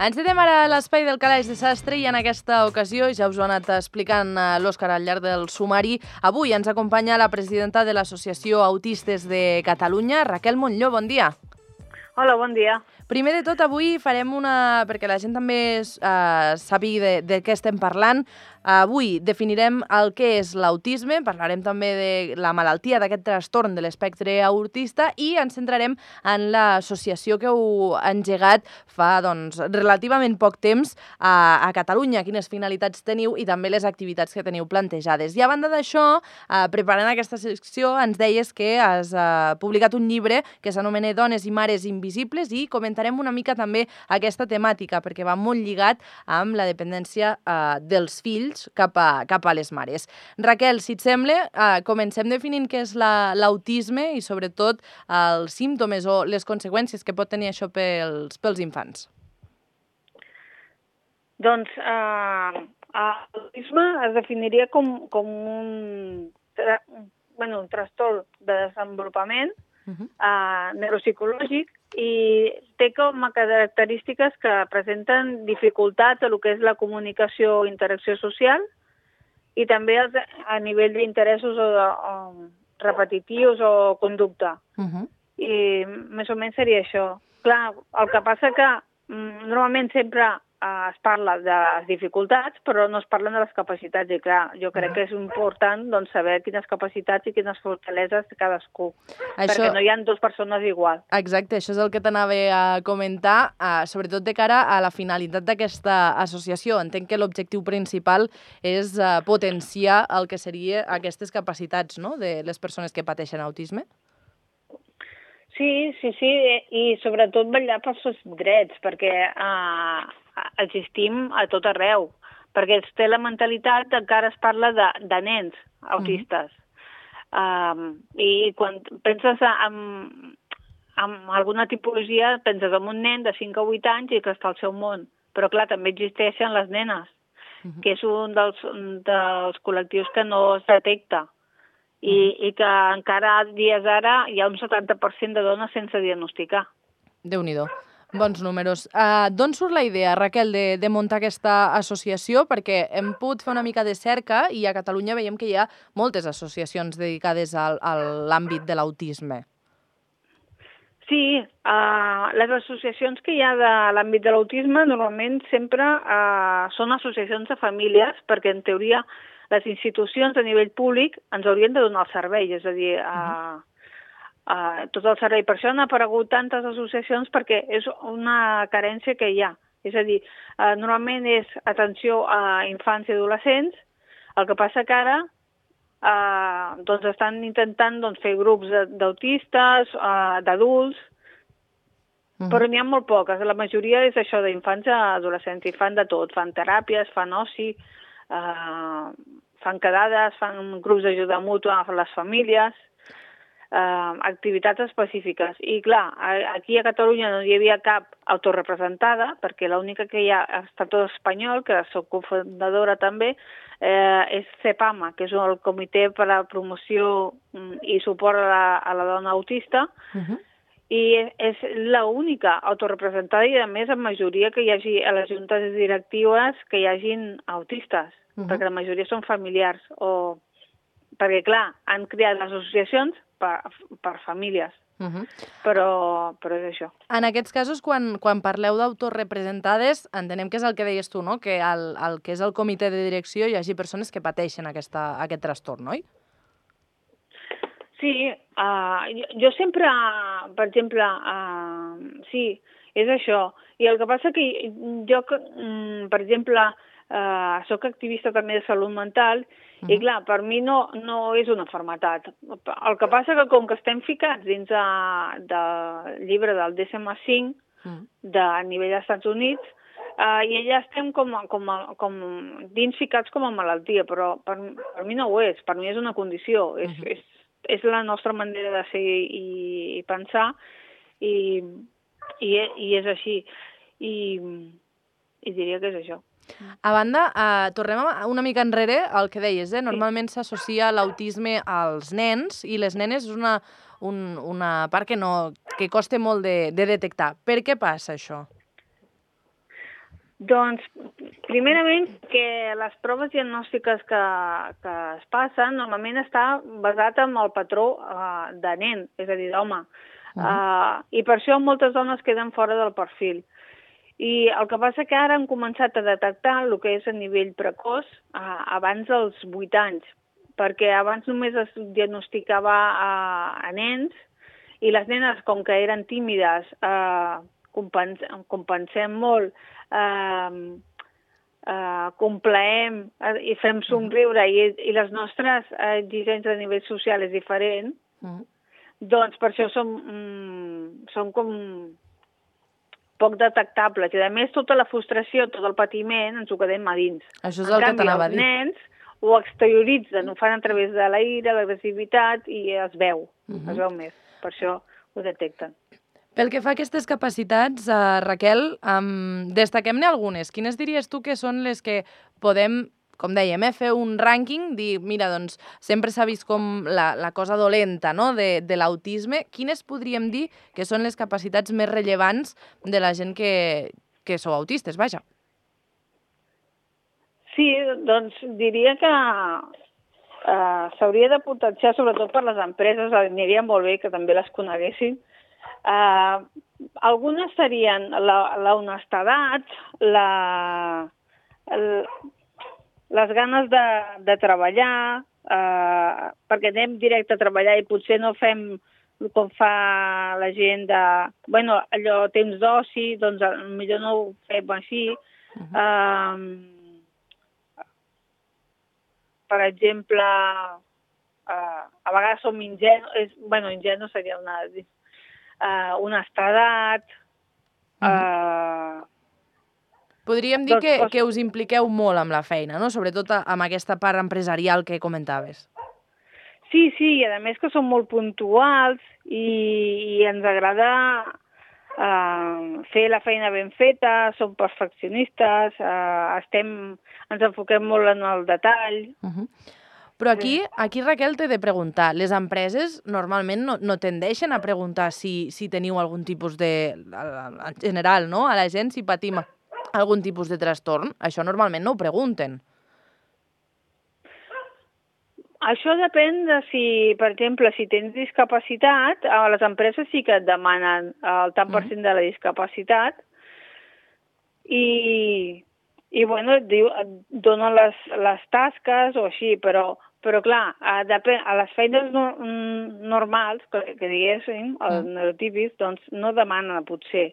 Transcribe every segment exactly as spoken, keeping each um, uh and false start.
Encetem ara l'espai del calaix de sastre i en aquesta ocasió, ja us ho ha anat explicant l'Òscar al llarg del sumari, avui ens acompanya la presidenta de l'Associació Autistes de Catalunya, Raquel Montlló. Bon dia. Hola, bon dia. Primer de tot, avui farem una... perquè la gent també eh, sàpiga de, de què estem parlant. Avui definirem el que és l'autisme, parlarem també de la malaltia d'aquest trastorn de l'espectre autista i ens centrarem en l'associació que heu engegat fa doncs, relativament poc temps a, a Catalunya, quines finalitats teniu i també les activitats que teniu plantejades. I a banda d'això, eh, preparant aquesta secció, ens deies que has eh, publicat un llibre que s'anomena Dones i Mares Invisibles i comentarem una mica també aquesta temàtica, perquè va molt lligat amb la dependència eh, dels fills cap a, cap a les mares. Raquel, si et sembla, eh, comencem definint què és l'autisme i sobretot els símptomes o les conseqüències que pot tenir això pels, pels infants. Doncs eh, l'autisme es definiria com, com un, tra bueno, un trastorn de desenvolupament uh -huh. eh, neuropsicològic i té com a característiques que presenten dificultats a lo que és la comunicació i interacció social i també a nivell d'interessos o, o repetitius o conducta. Uh -huh. I més o menys seria això. Clar, el que passa que normalment sempre es parla de les dificultats, però no es parlen de les capacitats. I clar, jo crec que és important doncs, saber quines capacitats i quines fortaleses té cadascú, això... perquè no hi ha dues persones igual. Exacte, això és el que t'anava a comentar, eh, sobretot de cara a la finalitat d'aquesta associació. Entenc que l'objectiu principal és eh, potenciar el que seria aquestes capacitats, no?, de les persones que pateixen autisme. Sí, sí, sí, i sobretot vetllar pels seus drets, perquè eh, existim a tot arreu, perquè es té la mentalitat que encara es parla de, de nens autistes. Mm. Um, I quan penses en, en alguna tipologia, penses en un nen de cinc a vuit anys i que està al seu món. Però clar, també existeixen les nenes, mm-hmm. que és un dels, dels col·lectius que no es detecta. I, i que encara dies ara hi ha un setanta per cent de dones sense diagnosticar. Déu-n'hi-do. Bons números. Uh, D'on surt la idea, Raquel, de, de muntar aquesta associació? Perquè hem pogut fer una mica de cerca i a Catalunya veiem que hi ha moltes associacions dedicades al, a l'àmbit de l'autisme. Sí, uh, les associacions que hi ha de l'àmbit de l'autisme normalment sempre uh, són associacions de famílies, perquè en teoria les institucions a nivell públic ens haurien de donar el servei, és a dir, uh, uh, tot el servei. Per això han aparegut tantes associacions perquè és una carència que hi ha. És a dir, uh, normalment és atenció a infants i adolescents, el que passa que ara uh, doncs estan intentant doncs, fer grups d'autistes, uh, d'adults, uh -huh. però n'hi ha molt poques. La majoria és això d'infants i adolescents i fan de tot, fan teràpies, fan oci, Uh, fan quedades, fan grups d'ajuda mútua a les famílies, uh, activitats específiques. I clar, aquí a Catalunya no hi havia cap autorrepresentada, perquè l'única que hi ha a Estat espanyol, que soc cofundadora també, eh, és CEPAMA, que és el Comitè per a la Promoció i Suport a la, a la Dona Autista, uh-huh. i és l'única autorrepresentada i, a més, en majoria que hi hagi a les juntes directives que hi hagin autistes, uh-huh. perquè la majoria són familiars. O... Perquè, clar, han creat les associacions per, per famílies, uh-huh. però, però és això. En aquests casos, quan, quan parleu d'autorrepresentades, entenem que és el que deies tu, no?, que el, el que és el comitè de direcció hi hagi persones que pateixen aquesta, aquest trastorn, oi? Sí, uh, jo, jo sempre, per exemple, uh, sí, és això. I el que passa que jo, um, per exemple, uh, soc activista també de salut mental uh-huh. i, clar, per mi no, no és una malaltia. El que passa que com que estem ficats dins de, del llibre del D S M cinc uh-huh. de, a nivell dels Estats Units, uh, i allà estem com, com, com dins ficats com a malaltia, però per, per mi no ho és, per mi és una condició, és, uh-huh. és és la nostra manera de ser i, i pensar i, i, i és així. I, I diria que és això. A banda, eh, tornem una mica enrere al que deies, eh? Normalment sí. s'associa l'autisme als nens i les nenes és una, un, una part que, no, que costa molt de, de detectar. Per què passa això? Doncs, primerament, que les proves diagnòstiques que, que es passen normalment està basat en el patró uh, de nen, és a dir, d'home. Uh -huh. uh, I per això moltes dones queden fora del perfil. I el que passa que ara han començat a detectar el que és a nivell precoç uh, abans dels vuit anys, perquè abans només es diagnosticava a, a nens i les nenes, com que eren tímides, uh, compens compensem molt, eh, eh, complaem eh, i fem somriure i, i les nostres exigències a nivell social és diferent, uh-huh. doncs per això som, mm, som com poc detectables. I a més, tota la frustració, tot el patiment ens ho quedem a dins. Això és el que t'anava a dir. En canvi, els nens ho exterioritzen, ho fan a través de la ira, l'agressivitat i es veu, uh-huh. es veu més. Per això ho detecten. Pel que fa a aquestes capacitats, uh, Raquel, um, destaquem-ne algunes. Quines diries tu que són les que podem, com dèiem, eh, fer un rànquing, dir, mira, doncs, sempre s'ha vist com la, la cosa dolenta, no?, de, de l'autisme. Quines podríem dir que són les capacitats més rellevants de la gent que, que sou autistes, vaja? Sí, doncs diria que uh, s'hauria de potenciar, sobretot per les empreses, aniria molt bé que també les coneguessin. Uh, algunes serien la, la honestedat, la, el, les ganes de, de treballar, uh, perquè anem directe a treballar i potser no fem com fa la gent de, bueno, allò temps d'oci, doncs millor no ho fem així. Uh-huh. uh, per exemple, uh, a vegades som ingenus, bueno, ingenu seria una... Uh, honestedat... Uh, uh, Podríem dir doncs, que, que us impliqueu molt amb la feina, no? Sobretot amb aquesta part empresarial que comentaves. Sí, sí, i a més que som molt puntuals i, i ens agrada uh, fer la feina ben feta, som perfeccionistes, uh, estem, ens enfoquem molt en el detall... Uh-huh. Però aquí, aquí, Raquel, t'he de preguntar, les empreses normalment no, no tendeixen a preguntar si, si teniu algun tipus de... en general, no?, a la gent, si patim algun tipus de trastorn. Això normalment no ho pregunten. Això depèn de si, per exemple, si tens discapacitat, a les empreses sí que et demanen el tant per cent de la discapacitat i, i bueno, et, diu, et donen les, les tasques o així, però... Però, clar, a, a les feines no, normals, que, que diguéssim, els mm. neurotípics, doncs no demanen, potser.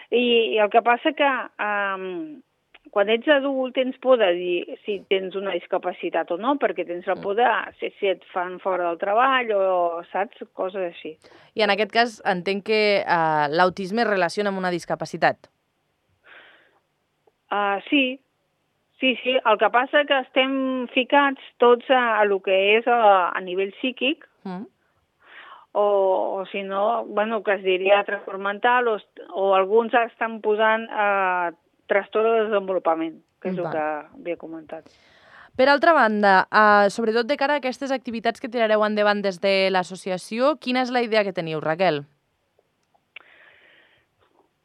I, i el que passa que um, quan ets adult tens por de dir si tens una discapacitat o no, perquè tens la por de si, si et fan fora del treball o, saps, coses així. I en aquest cas entenc que uh, l'autisme es relaciona amb una discapacitat. Uh, sí, Sí, sí, el que passa que estem ficats tots a, a lo que és a, a nivell psíquic, mm. o, o si no, bueno, que es diria trastorn mental, o, o alguns estan posant eh, trastorn de desenvolupament, que és Va. el que havia comentat. Per altra banda, eh, sobretot de cara a aquestes activitats que tirareu endavant des de l'associació, quina és la idea que teniu, Raquel?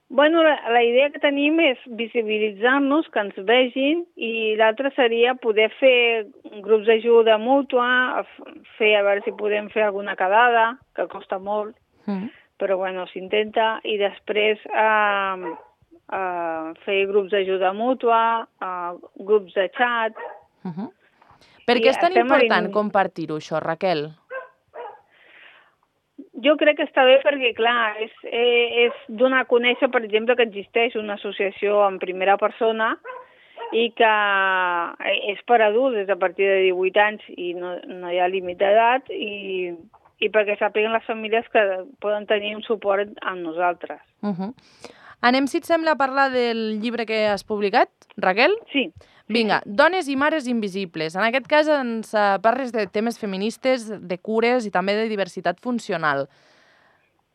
Bueno, la, la idea que tenim és visibilitzar-nos, que ens vegin, i l'altra seria poder fer grups d'ajuda mútua, fer a veure si podem fer alguna quedada, que costa molt, mm. però bueno, s'intenta, i després eh, eh, fer grups d'ajuda mútua, eh, grups de xat. Uh-huh. Per què és tan important en... compartir-ho, això, Raquel? Jo crec que està bé perquè, clar, és, és donar a conèixer, per exemple, que existeix una associació en primera persona i que és per adults des a partir de divuit anys i no, no hi ha límit d'edat i, i perquè sàpiguen les famílies que poden tenir un suport amb nosaltres. Uh-huh. Anem, si et sembla, a parlar del llibre que has publicat, Raquel? Sí. Vinga, Dones i mares invisibles. En aquest cas ens parles de temes feministes, de cures i també de diversitat funcional.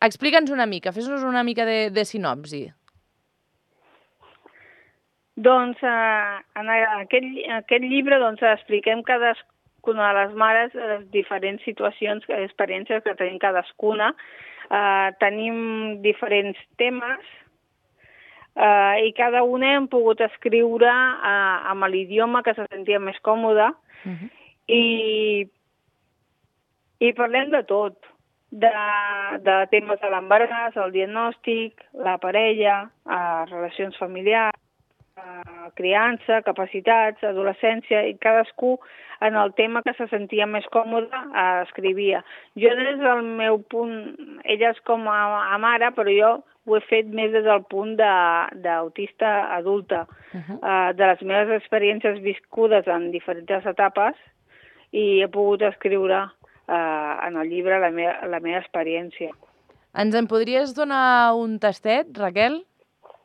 Explica'ns una mica, fes-nos una mica de, de sinopsi. Doncs eh, en aquest, aquest llibre doncs, expliquem cadascuna de les mares les diferents situacions, experiències que tenim cadascuna. Eh, tenim diferents temes. Uh, I cada una hem pogut escriure uh, amb l'idioma que se sentia més còmode. Uh-huh. I, I parlem de tot, de, de temes de l'embaràs, el diagnòstic, la parella, uh, relacions familiars, uh, criança, capacitats, adolescència, i cadascú en el tema que se sentia més còmode uh, escrivia. Jo des del meu punt, ella és com a, a mare, però jo ho he fet més des del punt d'autista adulta, uh-huh. uh, de les meves experiències viscudes en diferents etapes, i he pogut escriure uh, en el llibre la, me la meva experiència. Ens en podries donar un tastet, Raquel?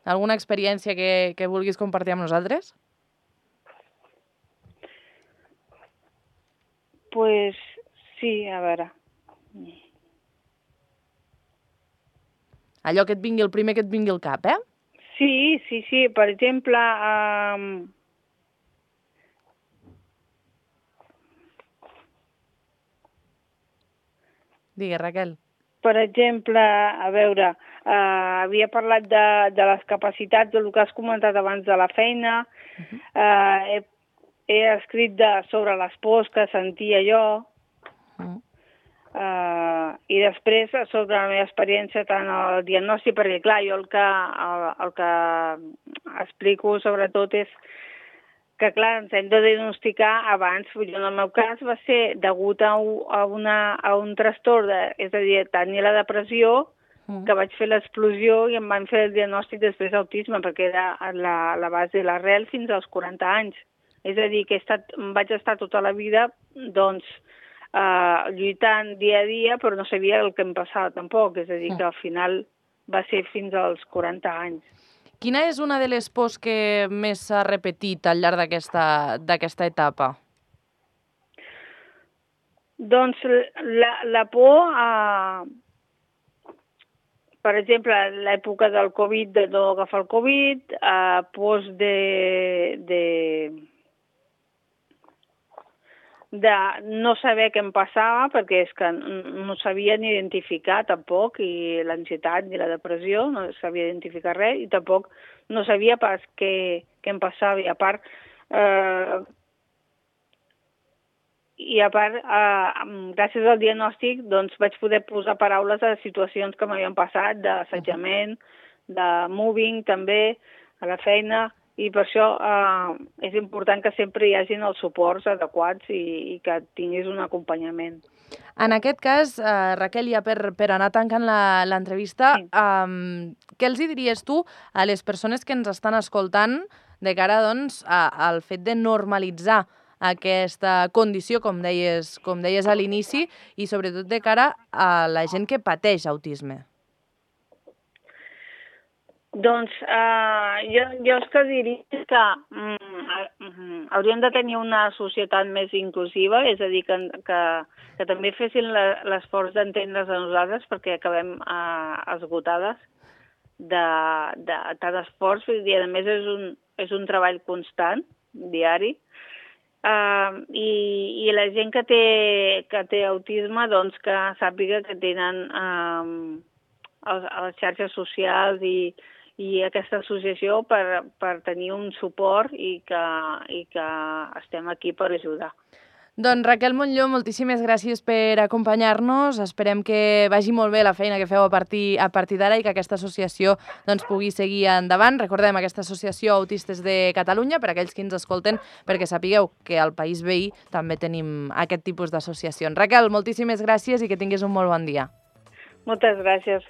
Alguna experiència que, que vulguis compartir amb nosaltres? Pues sí, a veure... Allò que et vingui el primer que et vingui al cap, eh? Sí, sí, sí. Per exemple, um... Digues, Raquel. Per exemple, a veure, uh, havia parlat de, de les capacitats, del que has comentat abans de la feina, uh-huh. uh, he, he escrit de, sobre les pors que sentia jo, uh-huh. Uh, i després sobre la meva experiència tant el diagnòstic, perquè clar, jo el que, el, el que explico sobretot és que clar, ens hem de diagnosticar abans. Jo en el meu cas va ser degut a, a, una, a un trastorn, de, és a dir, tenia la depressió, mm. que vaig fer l'explosió i em van fer el diagnòstic després d'autisme, perquè era la, la base, l'arrel fins als quaranta anys. És a dir, que he estat, vaig estar tota la vida, doncs, Uh, lluitant dia a dia, però no sabia el que em passava tampoc, és a dir, que al final va ser fins als quaranta anys. Quina és una de les pors que més s'ha repetit al llarg d'aquesta etapa? Doncs la, la por a... Per exemple, l'època del Covid, de no agafar el Covid, uh, pors de... de de no saber què em passava, perquè és que no sabia ni identificar tampoc, i l'ansietat ni la depressió, no sabia identificar res, i tampoc no sabia pas què, què em passava. I a part, eh, i a part eh, gràcies al diagnòstic, doncs vaig poder posar paraules a situacions que m'havien passat, d'assetjament, de mobbing també, a la feina, i per això eh, és important que sempre hi hagin els suports adequats i, i que tinguis un acompanyament. En aquest cas, eh, Raquel, ja per, per anar tancant l'entrevista, sí. eh, què els diries tu a les persones que ens estan escoltant de cara doncs, a, al fet de normalitzar aquesta condició, com deies, com deies a l'inici, i sobretot de cara a la gent que pateix autisme? Doncs uh, jo, jo és que diria que mm, hauríem de tenir una societat més inclusiva, és a dir, que, que, que també fessin l'esforç d'entendre's a nosaltres, perquè acabem uh, esgotades de, de tant esforç, i a més és un, és un treball constant, diari, uh, i, i la gent que té, que té autisme, doncs que sàpiga que tenen uh, les, les xarxes socials i i aquesta associació per, per tenir un suport i que, i que estem aquí per ajudar. Doncs Raquel Montllor, moltíssimes gràcies per acompanyar-nos. Esperem que vagi molt bé la feina que feu a partir, a partir d'ara i que aquesta associació doncs, pugui seguir endavant. Recordem aquesta associació Autistes de Catalunya, per aquells que ens escolten, perquè sapigueu que al país veí també tenim aquest tipus d'associacions. Raquel, moltíssimes gràcies i que tinguis un molt bon dia. Moltes gràcies.